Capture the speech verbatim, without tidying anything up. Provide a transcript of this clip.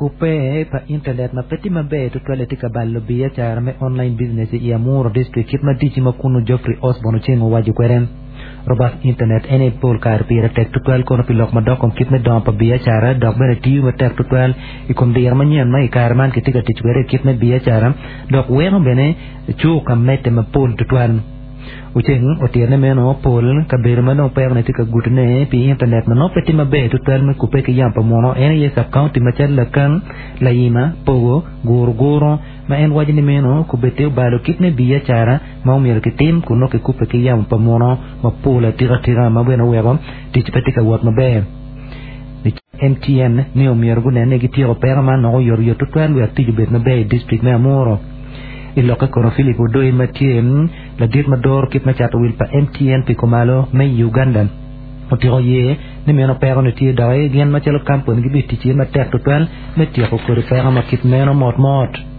Kupe pa internet ma pe tye maber tutwal tye ka balo biacara me online business i Amuru district kit ma dici ma kunu Geoffrey Osborne Oceng owaco kwede robust internet ene pol kare pire tek tutwal kono pi lok madok kom kit me dongo pa biacara dok bene tiyo matek tutwal i kom diro manyen ma i kare man kitye ka tic kwede i kit me biacara dok weko bene cuka medde mapol tutwal Oceng otirne meno pol kabedo ma dong pekone tye ka gutone pi internet ma nongo pe tye maber tutwal me kupe ki yamo pa muno en aye sub-county macalo Lakang, Layima, Pogo, Guru Guru ma en waco ni meno kubete obalo kit me biacara ma omyero kitim kun nongo kikupe ki yamo pa muno mapol atikatika ma bene oweko tic pe tye ka wot maber. M T N ni omyero gunene ni gityeko peko man nongo oyotoyot tutwal wek tic obed maber i district me Amuru. I lokke kono Philip Odoi ma tye ladit ma doro kit me cato wil pa M T N pi kumalo me Uganda otiko ye ni meno peko ni tye dok gin macalo kampuni gibitic iye matek tutwal me tyeko kodi peko ma kit meno motmot.